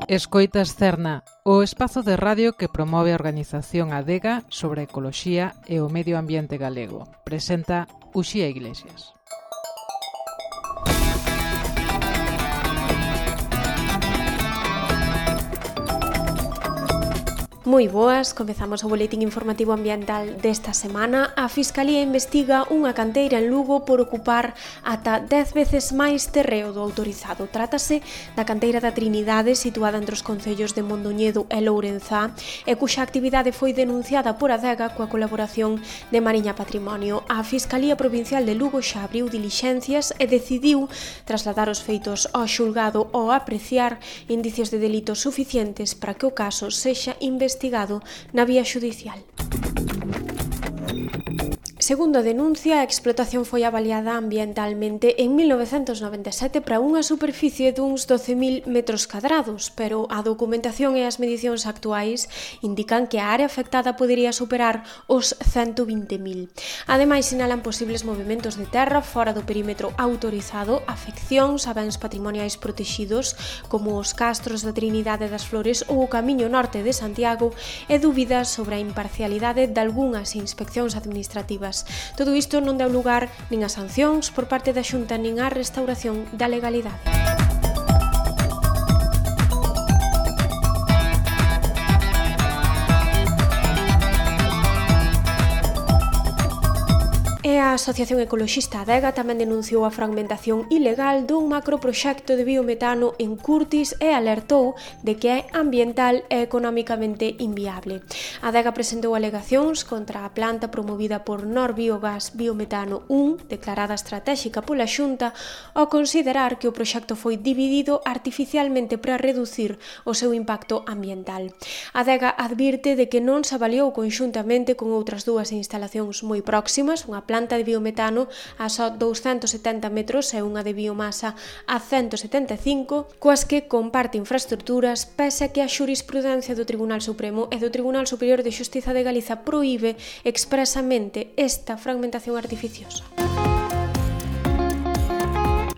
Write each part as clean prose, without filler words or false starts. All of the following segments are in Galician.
Escoitas Cerna, o espazo de radio que promove a organización Adega sobre a ecoloxía e o medio ambiente galego. Presenta Uxía Iglesias. Moi boas, comezamos o boletín informativo ambiental desta semana. A Fiscalía investiga unha canteira en Lugo por ocupar ata 10 veces máis terreo do autorizado. Trátase da canteira da Trinidade, situada entre os concellos de Mondoñedo e Lourenzá, e cuxa actividade foi denunciada por Adega coa colaboración de Mariña Patrimonio. A Fiscalía Provincial de Lugo xa abriu dilixencias e decidiu trasladar os feitos ao xulgado ao apreciar indicios de delito suficientes para que o caso sexa investigado na vía xudicial. Segundo a denuncia, a explotación foi avaliada ambientalmente en 1997 para unha superficie duns 12.000 metros cadrados, pero a documentación e as medicións actuais indican que a área afectada podería superar os 120.000. Ademais, sinalan posibles movimentos de terra fora do perímetro autorizado, afeccións a bens patrimoniais protexidos, como os castros da Trinidade das Flores ou o Camiño Norte de Santiago, e dúbidas sobre a imparcialidade de algunhas inspeccións administrativas. Todo isto non deu lugar nin a sancións por parte da Xunta nin á restauración da legalidade. E a Asociación Ecoloxista Adega tamén denunciou a fragmentación ilegal dun macroproxecto de biometano en Curtis e alertou de que é ambiental e económicamente inviable. Adega presentou alegacións contra a planta promovida por Norbiogas Biometano 1, declarada estratéxica pola Xunta, ao considerar que o proxecto foi dividido artificialmente para reducir o seu impacto ambiental. Adega advirte de que non se avaliou conxuntamente con outras dúas instalacións moi próximas, unha planta de biometano a só 270 metros e unha de biomasa a 175, coas que comparte infraestructuras, pese a que a xurisprudencia do Tribunal Supremo e do Tribunal Superior de Xustiza de Galiza proíbe expresamente esta fragmentación artificiosa.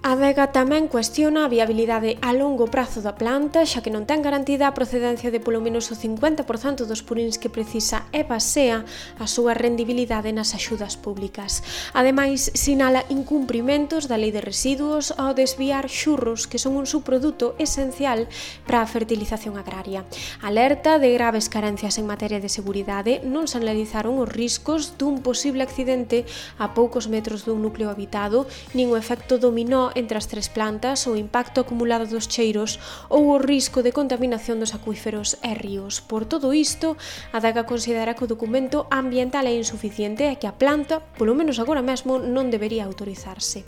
A Adega tamén cuestiona a viabilidade a longo prazo da planta, xa que non ten garantida a procedencia de polo menos o 50% dos purins que precisa e basea a súa rendibilidade nas axudas públicas. Ademais, sinala incumprimentos da Lei de Residuos ao desviar xurros, que son un subproduto esencial para a fertilización agraria. Alerta de graves carencias en materia de seguridade, non se analizaron os riscos dun posible accidente a poucos metros dun núcleo habitado, nin o efecto dominó entre as tres plantas, o impacto acumulado dos cheiros ou o risco de contaminación dos acuíferos e ríos. Por todo isto, a Adega considera que o documento ambiental é insuficiente e que a planta, polo menos agora mesmo, non debería autorizarse.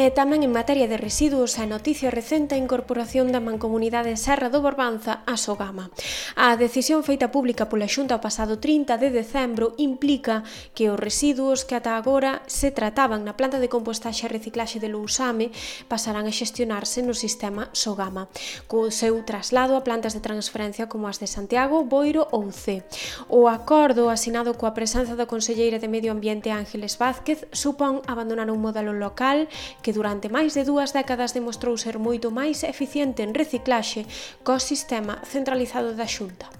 E tamén en materia de residuos, a noticia recente a incorporación da Mancomunidade Serra do Barbanza a Sogama. A decisión feita pública pola Xunta o pasado 30 de decembro implica que os residuos que ata agora se trataban na planta de compostaxe e reciclaxe de Lousame pasarán a xestionarse no sistema Sogama, co seu traslado a plantas de transferencia como as de Santiago, Boiro ou Cee. O acordo asinado coa presenza da conselleira de Medio Ambiente Ángeles Vázquez supón abandonar un modelo local que durante máis de 2 décadas demostrou ser moito máis eficiente en reciclaxe co sistema centralizado da Xunta.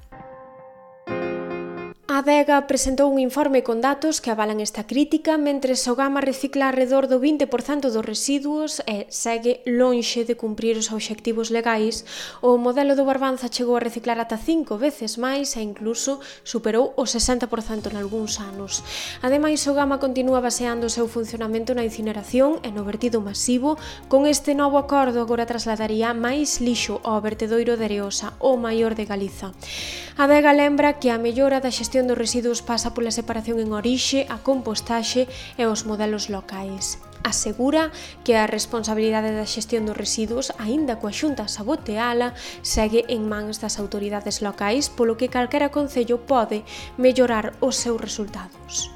A Adega presentou un informe con datos que avalan esta crítica, mentre Sogama recicla alrededor do 20% dos residuos e segue lonxe de cumprir os obxectivos legais. O modelo do Barbanza chegou a reciclar ata 5 veces máis e incluso superou o 60% nalgúns anos. Ademais, Sogama continúa baseando o seu funcionamento na incineración e no vertido masivo. Con este novo acordo agora trasladaría máis lixo ao vertedoiro de Areosa, o maior de Galiza. A Adega lembra que a mellora da xestión dos residuos pasa pola separación en orixe, a compostaxe e os modelos locais. Asegura que a responsabilidade da xestión dos residuos, aínda coa Xunta saboteala, segue en mans das autoridades locais, polo que calquera concello pode mellorar os seus resultados.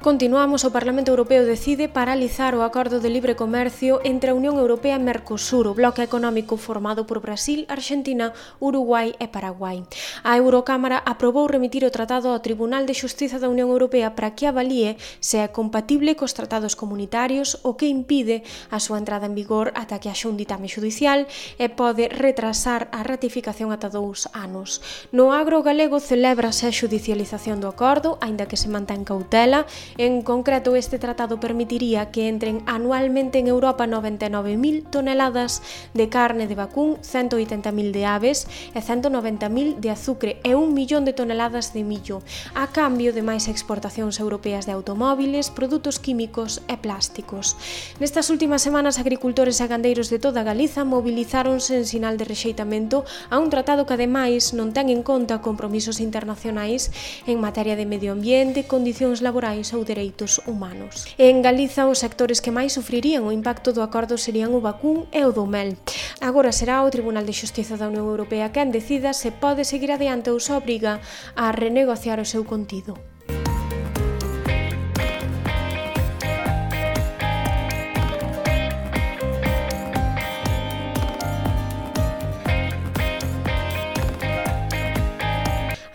Continuamos, o Parlamento Europeo decide paralizar o acordo de libre comercio entre a Unión Europea e Mercosur, o bloque económico formado por Brasil, Argentina, Uruguai e Paraguai. A Eurocámara aprobou remitir o tratado ao Tribunal de Xustiza da Unión Europea para que avalíe se é compatible cos tratados comunitarios, o que impide a súa entrada en vigor ata que haxa un ditame xudicial e pode retrasar a ratificación ata 2 anos. No agro galego celébrase a xudicialización do acordo, aínda que se mantén cautela. En concreto, este tratado permitiría que entren anualmente en Europa 99.000 toneladas de carne de vacún, 180.000 de aves e 190.000 de azucre e 1 millón de toneladas de millo, a cambio de máis exportacións europeas de automóviles, produtos químicos e plásticos. Nestas últimas semanas, agricultores e gandeiros de toda Galiza mobilizáronse en sinal de rexeitamento a un tratado que, ademais, non ten en conta compromisos internacionais en materia de medio ambiente, condicións laborais ou dereitos humanos. En Galiza, os sectores que máis sufrirían o impacto do acordo serían o vacún e o do mel. Agora será o Tribunal de Xustiza da Unión Europea quen decida se pode seguir adiante ou se obriga a renegociar o seu contido.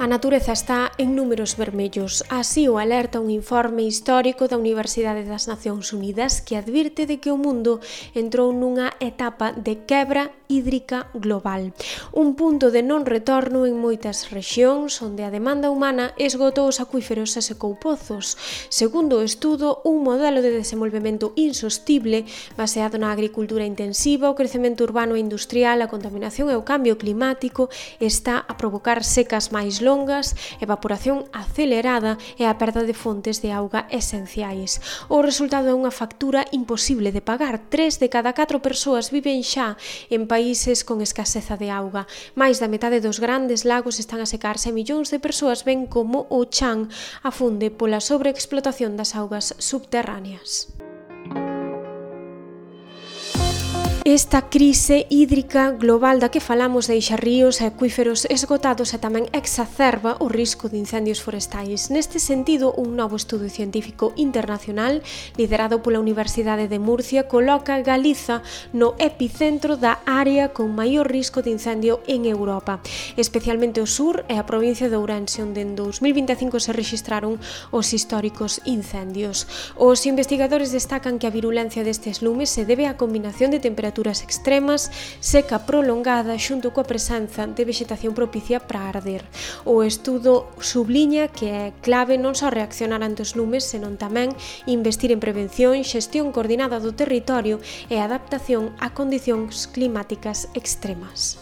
A natureza está en números vermellos, así o alerta un informe histórico da Universidade das Nacións Unidas que advirte de que o mundo entrou nunha etapa de quebra hídrica global, un punto de non retorno en moitas rexións onde a demanda humana esgotou os acuíferos e secou pozos. Segundo o estudo, un modelo de desenvolvemento insostible baseado na agricultura intensiva, o crecemento urbano e industrial, a contaminación e o cambio climático está a provocar secas máis longas, evaporación acelerada e a perda de fontes de auga esenciais. O resultado é unha factura imposible de pagar. 3 de cada 4 persoas viven xa en países con escaseza de auga. Mais da metade dos grandes lagos están a secarse e millóns de persoas ven como o chan afunde pola sobreexplotación das augas subterráneas. Esta crise hídrica global da que falamos deixa ríos e acuíferos esgotados e tamén exacerba o risco de incendios forestais. Neste sentido, un novo estudo científico internacional liderado pola Universidade de Murcia coloca Galiza no epicentro da área con maior risco de incendio en Europa, especialmente o sur e a provincia de Ourense, onde en 2025 se rexistraron os históricos incendios. Os investigadores destacan que a virulencia destes lumes se debe á combinación de temperaturas extremas, seca prolongada xunto coa presenza de vexetación propicia para arder. O estudo subliña que é clave non só reaccionar ante os lumes, senón tamén investir en prevención, xestión coordinada do territorio e adaptación a condicións climáticas extremas.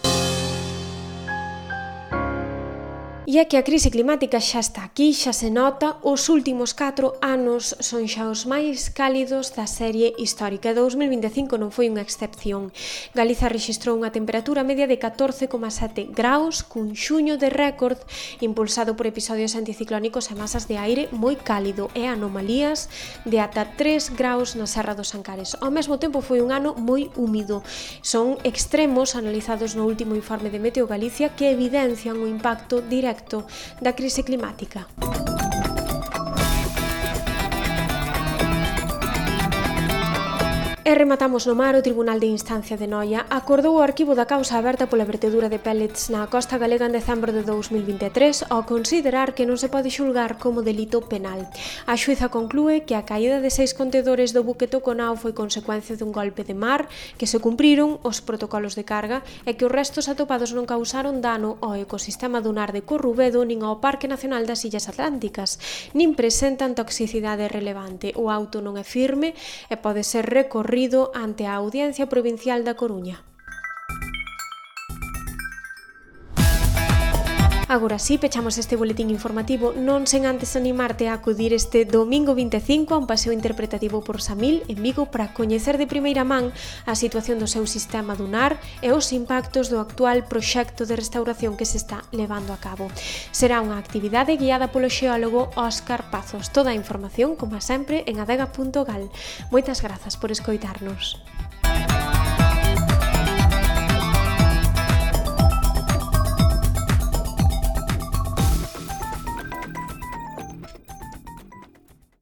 E é que a crise climática xa está aquí, xa se nota, os últimos 4 anos son xa os máis cálidos da serie histórica. 2025 non foi unha excepción. Galiza rexistrou unha temperatura media de 14,7 graus, cun xuño de récord impulsado por episodios anticiclónicos e masas de aire moi cálido e anomalías de ata 3 graus na Serra dos Ancares. Ao mesmo tempo foi un ano moi húmido. Son extremos analizados no último informe de Meteo Galicia que evidencian o impacto directo da crise climática. E rematamos no mar. O Tribunal de Instancia de Noia acordou o arquivo da causa aberta pola vertedura de pellets na costa galega en decembro de 2023 ao considerar que non se pode xulgar como delito penal. A xuíza conclúe que a caída de 6 contedores do buque Toconao foi consecuencia dun golpe de mar, que se cumpriron os protocolos de carga e que os restos atopados non causaron dano ao ecosistema dunar de Corrubedo nin ao Parque Nacional das Illas Atlánticas, nin presentan toxicidade relevante. O auto non é firme e pode ser recorrido ante a Audiencia Provincial da Coruña. Agora sí, pechamos este boletín informativo non sen antes animarte a acudir este domingo 25 a un paseo interpretativo por Samil en Vigo para coñecer de primeira man a situación do seu sistema dunar e os impactos do actual proxecto de restauración que se está levando a cabo. Será unha actividade guiada polo xeólogo Óscar Pazos. Toda a información, como sempre, en adega.gal. Moitas grazas por escoitarnos.